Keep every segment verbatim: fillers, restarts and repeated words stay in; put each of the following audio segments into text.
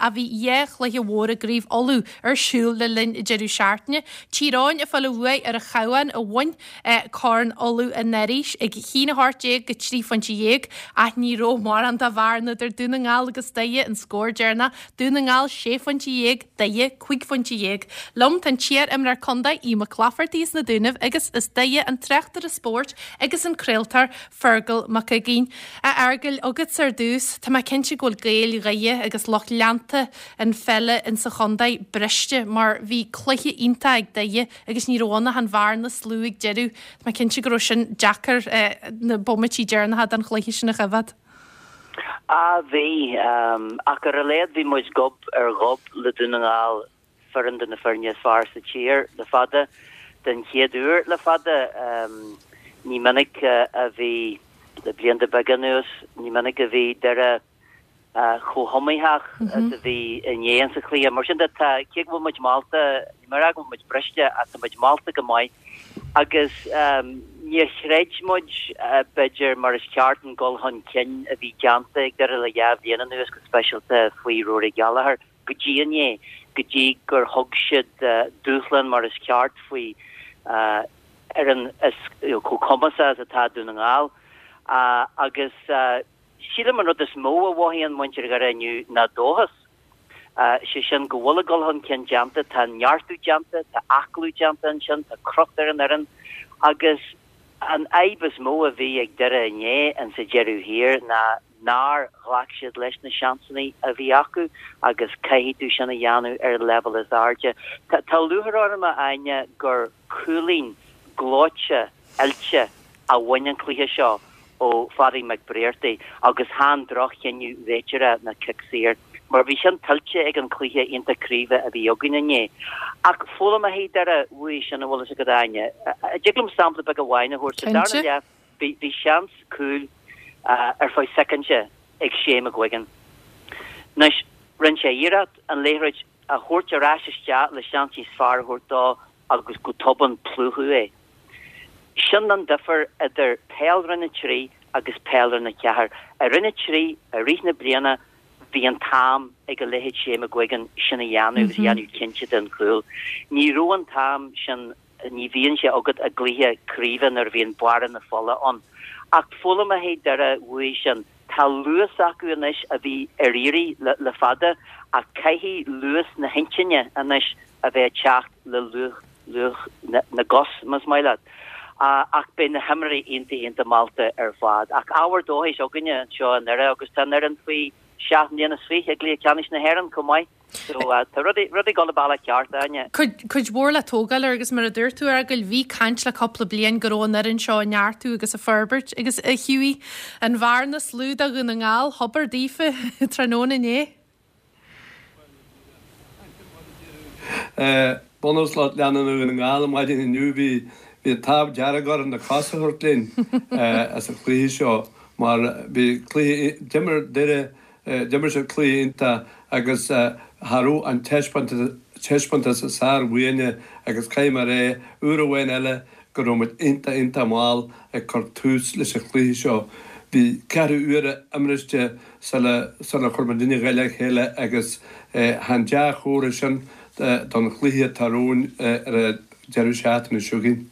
ach bhí dhá chluiche mhór i gCraobh Uladh ar siúl le linn an deireadh seachtaine. Tír Eoghain ag fáil a bhuaidh ar an Chabhán a bhain Corn Uladh anuraidh ag a haon a hocht déag go trí phointe dhéag ach ní raibh mórán de bhearna idir Dún na nGall agus Doire an scór deireanach, Dún na nGall sé phointe dhéag, Doire cúig phointe dhéag. Liom tá an t-iar-imreoir contae Aodh Mac Laifeartaigh as na Dúnaibh agus as Doire an tráchtaire spóirt agus an craoltóir Fergal Mac Uiginn. A Fheargail, agatsa ar dtús, tá mé cinnte go bhfuil Gaeil Dhoire agus lucht leanta an pheile insa chontae briste mar bhí cluiche iontach ag Doire agus ní raibh ann ach an bhearna is lú ag deireadh. Tá mé cinnte go raibh sin deacair na bomaití deireanacha den chluiche sin a choimhéad. Á bhí, ach ar a laghad bhí muid gob ar ghob le Dún na nGall, foireann de na foirne is fearr sa tír le fada, den chéad uair le fada. Ní minic a bhí, le blianta beaga anuas, ní minic a bhí Doire chomh hiomaíoch is a bhí inné insa chluiche. Mar sin de, tá, cé go bhfuil muid molta, ní mar go bhfuil muid briste ach tá muid molta go maith agus níor chreid muid, b'fhéidir, mar is ceart an dul chun cinn a bhí déanta ag Doire le dhá bhliain anuas, go speisialta faoi Rory Gallagher, go dtí inné, go dtí gur thug siad dúshlán mar is ceart faoi fhoireann is chomh cumasach is atá Dún na nGall. Agus sílim an rud is mó a mhothaíonn muintir Dhoire inniu ná dóchas. Sé sin go bhfuil an dul chun cinn déanta, tá neartú déanta, tá aclú déanta ansin, tá crot ar an fhoireann agus an fhadhb is mó a bhí ag Doire inné insa deireadh thiar ná nár ghlac siad leis na seansanna a bhí acu agus caithfidh tú sin a dhéanamh ar an leibhéal is airde. Tá lúcháir orm, a Áine, gur cúilín gleoite oilte a bhain an cluiche seo ó Phádraig Mac Briartaigh agus chan droch-chinneadh réiteora ná cic saor, mar bhí sin tuillte ag an cluiche iontach craoibhe a bhí againn inné. Ach foghlaimeoidh Doire uaidh sin, an bhfuil fhios agat, a Áine. Dtig liom sampla beag amháin a thabhairt. Sa darna leath, bhí seans cúil ar feadh soicind ag Shane McGuigan. Anois, rinne sé iarracht an liathróid a thabhairt ar ais isteach le seans níos fearr a thabhairt dó agus go tobann plúchadh é. Sin an difear idir peil Roinn a trí agus peil Roinn a ceathair. I Roinn a trí, i rith na bliana, bhí an t-am ag a leithéid Shane McGuigan sin a dhéanamh agus a dhéanamh cinnte den chúl. Ní raibh an t-am sin, ní bhíonn sé agat i gcluiche craoibhe nuair a bhíonn bearradh na fola ann. Ach foghlaimeoidh Doire uaidh sin. Tá luas acu anois a bhí ar iarraidh le fada ach caithfidh luas na hintinne anois a bheith ag teacht le luas na gcos, más maith leat. Ach beidh na himreoirí iontach iontach molta ar fad. Ach ábhar dóchais againne anseo i nDoire agus tá an fhoireann faoi seacht mbliana is fiche i gcluiche ceannais na hÉireann chomh maith. So tá rudaí ag dul an bealach ceart, a Áine. Cuid mhór le tógáil air agus mar a dúirt tú, a Fheargail, bhí caint le cúpla bliain go raibh an fhoireann seo ag neartú agus ag forbairt agus a Hughie, an bhearna is lú do Dhún na nGall, hobair daofa tráthnóna inné. Bunús lucht leanúna Dhún na nGall an maidin inniu bhí bhí an t-ádh dearg orainn na cosa a thabhairt linn as an chluiche seo mar bhí cluiche d'imir Doire d'imir siad cluiche iontach agus cha raibh an taispeántas is fearr uainne agus caithfidh mé a rá uair amháin eile go raibh muid iontach iontach mall ag cur tús leis an chluiche seo. Bhí ceathrú uaire imriste sula sula chuir muidinne a ghoil le chéile agus chan dea-chomhartha sin don chluiche atá romhainn ar an deireadh seachtaine seo chugainn.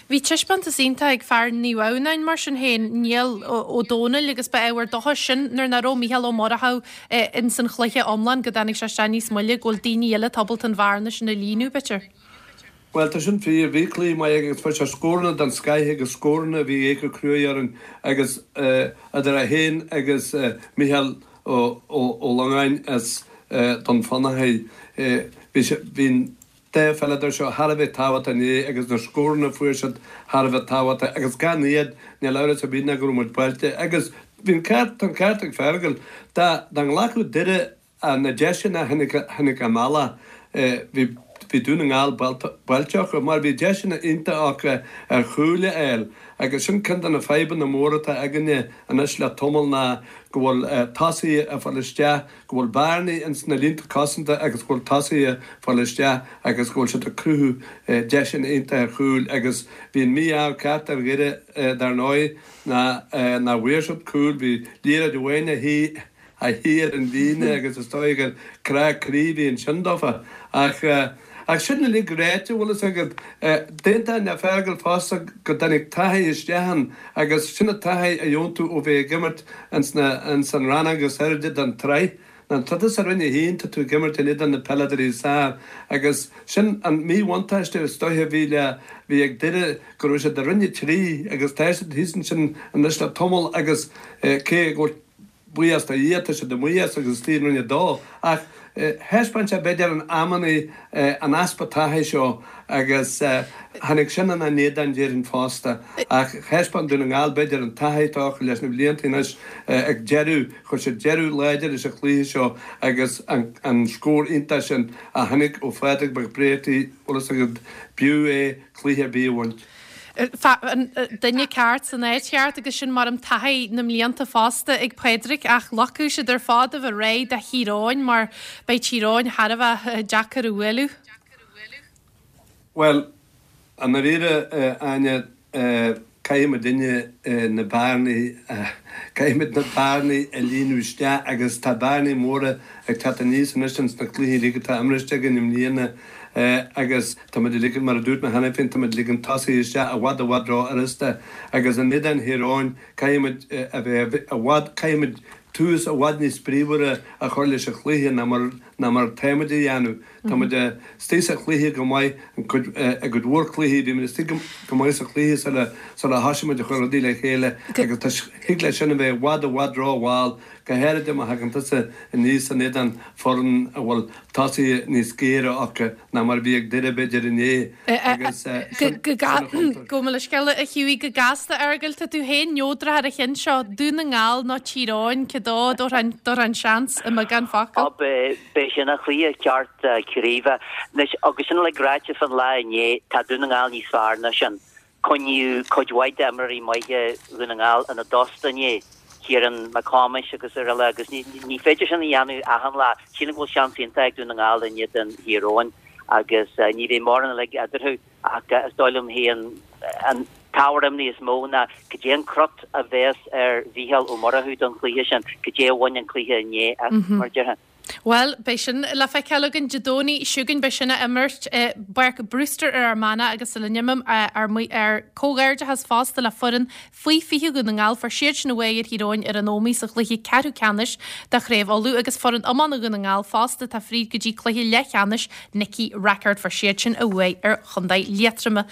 Bhí taispeántas iontach ag fear Naomh Adhamhnáin mar sin féin, Niall Ó Dónaill agus ba ábhar dóchais sin nuair nach raibh Mícheál Ó Murchú ins an chluiche iomlán go dtáinig sé isteach níos moille go bhfuil daoine eile ábalta an bhearna sin a líonadh, b'fhéidir. Bhuel, tá sin fíor. Bhí cluiche maith aige agus fuair sé scóranna den scoith agus scóranna a bhí ag cur cruaidh orainn agus idir é féin agus Micheál Ó Longáin as Dún Fionnachaidh, bhí sé, bhí an dá pheileadóir seo thar a bheith tábhachtach inné agus na scóranna a fuair siad thar a bheith tábhachtach agus gan iad níl amhras ar bith ná go raibh muid buailte agus bhí an ceart, tá an ceart ag Fergal, dá dá nglacfadh Doire na deiseanna a tháinig a mbealach, bhí bhí Dún na nGall buailte acu mar bhí deiseanna iontacha acu ar chúil a fháil agus sin ceann de na fadhbanna móra atá againne anois le tamall ná go bhfuil tosaithe ag fáil isteach, go bhfuil bearnaí ins na línte cosanta agus go bhfuil tosaithe ag fáil isteach agus go bhfuil siad ag cruthú deiseanna iontacha ar chúil agus bhí an mí-ádh ceart ar Dhoire dar ndóigh ná nach bhfuair siad cúl, bhí liathróid amháin a shuigh a shuí ar an líne agus is dóigh gur crá croí a bhí ansin dófa. Ach ach sin uilig ráite, bhfuil fhios agat, d'aontóinn le Fergal fosta go dtáinig taithí isteach ann agus sin an taithí a gheobhann tú ó bheith ag imirt ins na ins an rannóg is airde den tsraith. Ná tá tusa i Roinn a haon, tá tú ag imirt in éadan na peileadóirí is fearr agus sin an míbhuntáiste is dóiche a bhí le bhí ag Doire go raibh siad i Roinn a trí agus tá siad thíos ansin anois le tamall agus cé go bhfuil buíochas do Dhia tá siad amuigh as agus istigh i Roinn a dó ach thaispeáin sé b'fhéidir in amannaí an easpa taithí seo agus tháinig sin ina n-éadan déarfainn fosta ach thaispeáin Dún na nGall b'fhéidir an taithí atá acu leis na blianta anois ag deireadh, chuir siad deireadh láidir leis an chluiche seo agus an scór iontach sin a tháinig ó Phádraig Mac Bréartaigh, bhfuil fhios agat, b'fhiú é cluiche ar bith a bhaint. An duine ceart san áit cheart agus sin mar an taithí na mblianta fosta ag Pádraig ach loiceadh siad ar fad a bheith réidh do Thír Eoghain mar beidh Tír Eoghain thar a bheith deacair a bhualadh. Bhuel, i ndáiríre, Áine, caithfidh muidinne na bearnaí, caithfidh muid na bearnaí a líonadh isteach agus tá bearnaí móra ag teacht aníos anois ins na cluichí uilig atá imriste againn i mbliana. Agus tá muid ag ligean, mar a dúirt mé cheana féin, tá muid ag ligean tosaithe isteach i bhfad i bhfad ró-fhurasta agus in éadan Thír Eoghain caithfidh muid a bheith i bhfad, caithfidh muid tús i bhfad níos bríomhaire a chur leis an chluiche ná mar, ná mar atá muid a dhéanamh. Tá muid istigh sa chluiche go maith, i gcuid mhór cluichí, bhí muid istigh go maith sa chluiche sula, sula thosaigh muid a chur rudaí le chéile agus tá, thig leis sin a bheith i bhfad i bhfad ró-mhall, go háirithe má thagann tusa aníos in éadan foireann a bhfuil tosaithe níos géire acu ná mar a bhí ag Doire b'fhéidir inné agus sin a chuntar. Gabh mo leithscéal a Hughie, go gasta a Fheargail, tá tú féin neodrach ar an cheann seo, Dún na nGall nó Tír Eoghain, cé dó a dtabharfá an seans i mbeagán focal? B'é sin an cluiche ceart craoibhe. Anois, agus sin uilig ráite fán lá inné, tá Dún na nGall níos fearr ná sin. Coinníodh cuid mhaith d'imreoirí maithe Dhún na nGall ina dtost inné, Ciarán Mac Thomáis agus araile agus ní féidir sin a dhéanamh achan lá. Sílim go bhfuil seans iontach ag Dún na nGall in éadan Thír Eoghain agus ní bheidh mórán uilig eadarthu ach is dóigh liom féin an t-ábhar imní is mó ná cad é an crot a bheas ar Mhícheál Ó Murchú don chluiche sin, cad é a bhain an cluiche inné as, mar a déarfá. Bhuel, beidh sin le feiceáil againn Dé Domhnaigh seo chugainn, beidh sin á imirt i bPáirc Brewster ar Fhear Manach agus sula n-imím ár ár comhghairdeachas fosta le foireann faoi fiche Dhún na nGall, fuair siad sin a bhuaidh ar Thír Eoghain ar an Ómaigh sa chluiche ceathrú ceannais de Chraobh Uladh agus foireann iomána Dhún na nGall fosta atá fríd go dtí cluiche leathcheannais Nicky Rackard, fuair siad sin a bhuaidh ar Chontae Liatroma.